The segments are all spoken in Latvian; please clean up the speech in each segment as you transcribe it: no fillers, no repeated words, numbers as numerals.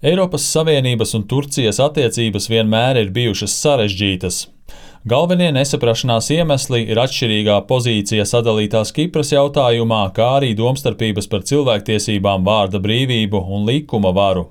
Eiropas Savienības un Turcijas attiecības vienmēr ir bijušas sarežģītas. Galvenie nesaprašanās iemesli ir atšķirīgā pozīcija sadalītās Kipras jautājumā, kā arī domstarpības par cilvēktiesībām, vārda brīvību un likuma varu.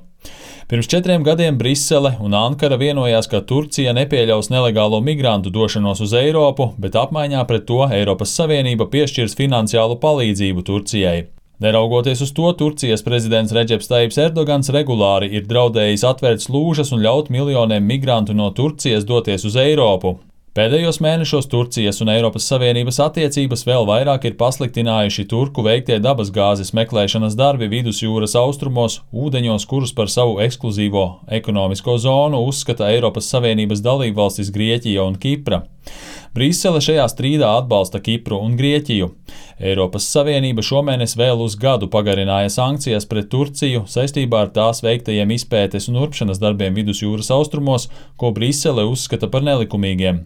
Pirms 4 gadiem Brisele un Ankara vienojās, ka Turcija nepieļaus nelegālo migrantu došanos uz Eiropu, bet apmaiņā pret to Eiropas Savienība piešķirs finansiālu palīdzību Turcijai. Neraugoties uz to, Turcijas prezidents Redžeps Tajibs Erdogans regulāri ir draudējis atvērt slūžas un ļaut miljoniem migrantu no Turcijas doties uz Eiropu. Pēdējos mēnešos Turcijas un Eiropas Savienības attiecības vēl vairāk ir pasliktinājuši turku veiktie dabasgāzes meklēšanas darbi vidusjūras austrumos, ūdeņos, kurus par savu ekskluzīvo ekonomisko zonu uzskata Eiropas Savienības dalībvalstis Grieķija un Kipra. Brisele šajā strīdā atbalsta Kipru un Grieķiju. Eiropas Savienība šomēnes vēl uz gadu pagarināja sankcijas pret Turciju saistībā ar tās veiktajiem izpētes un urpšanas darbiem vidusjūras austrumos, ko Brisele uzskata par nelikumīgiem.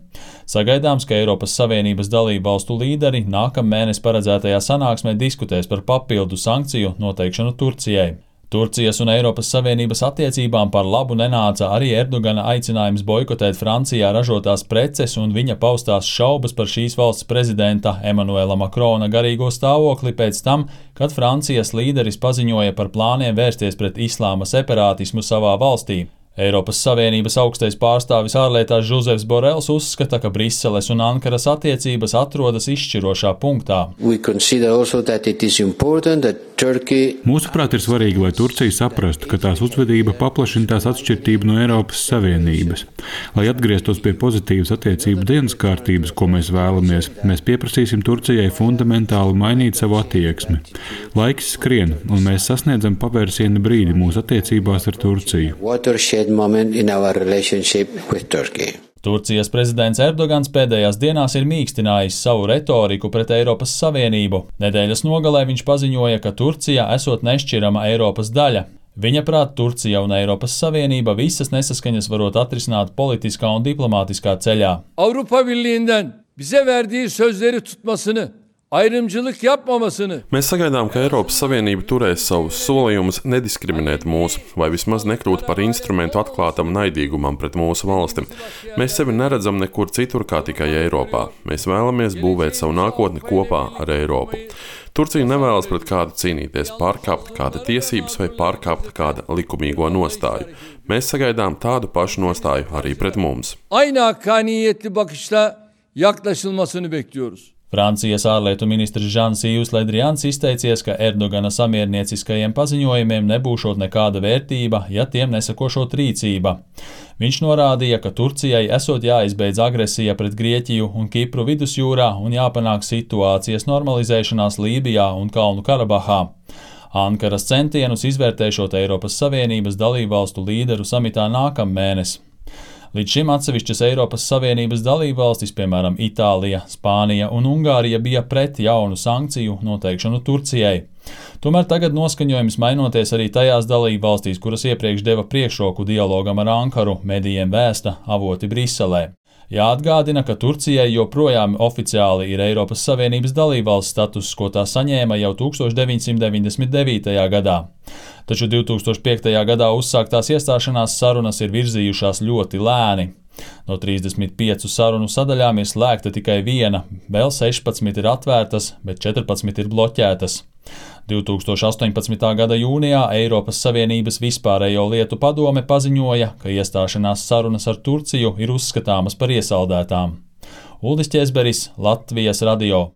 Sagaidāms, ka Eiropas Savienības dalībvalstu līderi nākamnedēļ paredzētajā sanāksmē diskutēs par papildu sankciju noteikšanu Turcijai. Turcijas un Eiropas Savienības attiecībām par labu nenāca arī Erdogana aicinājums boikotēt Francijā ražotās preces un viņa paustās šaubas par šīs valsts prezidenta Emanuela Makrona garīgo stāvokli pēc tam, kad Francijas līderis paziņoja par plāniem vērsties pret islāma separātismu savā valstī. Eiropas Savienības augstais pārstāvis ārlietās Žozefs Borels uzskata, ka Briseles un Ankaras attiecības atrodas izšķirošā punktā. Mūsuprāt, ir svarīgi, lai Turcija saprastu, ka tās uzvedība paplašina tās atšķirtību no Eiropas Savienības. Lai atgrieztos pie pozitīvas attiecību dienas kārtības, ko mēs vēlamies, mēs pieprasīsim Turcijai fundamentāli mainīt savu attieksmi. Laiks skrien, un mēs sasniedzam pavērsiena brīdi mūsu attiecībās ar Turciju. Turcijas prezidents Erdogans pēdējās dienās ir mīkstinājis savu retoriku pret Eiropas Savienību. Nedēļas nogalē viņš paziņoja, ka Turcija esot nešķirama Eiropas daļa. Viņa prāt, Turcija un Eiropas Savienība visas nesaskaņas varot atrisināt politiskā un diplomātiskā ceļā. Avrupa Birliği'nden bize verdiği sözleri tutmasını, ayrımcılık yapmamasını. Mēs sagaidām, ka Eiropas Savienība turēs savus solījumus nediskriminēt mūs, vai vismaz nekļūt par instrumentu atklātam naidīgumam pret mūsu valsti. Mēs sevi neredzam nekur citur kā tikai Eiropā. Mēs vēlamies būvēt savu nākotni kopā ar Eiropu. Turcija nevēlas pret kādu cīnīties, pārkāpt kāda tiesības vai pārkāpt kāda likumīgo nostāju. Mēs sagaidām tādu pašu nostāju arī pret mums. Aynı hakkaniyetli bakışla yaklaşılmasını bekliyoruz. Francijas ārlietu ministrs Jean-Yves Le Drians izteicies, ka Erdogana samiernieciskajiem paziņojumiem nebūšot nekāda vērtība, ja tiem nesakošot rīcība. Viņš norādīja, ka Turcijai esot jāizbeidz agresija pret Grieķiju un Kipru vidusjūrā un jāpanāk situācijas normalizēšanās Lībijā un Kalnu Karabahā. Ankaras centienus izvērtēšot Eiropas Savienības dalībvalstu līderu samitā nākamnedēļ. Līdz šim atsevišķas Eiropas Savienības dalībvalstis, piemēram, Itālija, Spānija un Ungārija, bija pret jaunu sankciju noteikšanu Turcijai. Tomēr tagad noskaņojums mainoties arī tajās dalībvalstīs, kuras iepriekš deva priekšroku dialogam ar Ankaru, medijiem vēsta avoti Briselē. Jāatgādina, ka Turcijai joprojām oficiāli ir Eiropas Savienības dalībvalsts status, ko tā saņēma jau 1999. gadā. Taču 2005. gadā uzsāktās iestāšanās sarunas ir virzījušās ļoti lēni. No 35 sarunu sadaļām ir slēgta tikai viena, vēl 16 ir atvērtas, bet 14 ir bloķētas. 2018. gada jūnijā Eiropas Savienības vispārējo lietu padome paziņoja, ka iestāšanās sarunas ar Turciju ir uzskatāmas par iesaldētām. Uldis Ķezberis, Latvijas radio.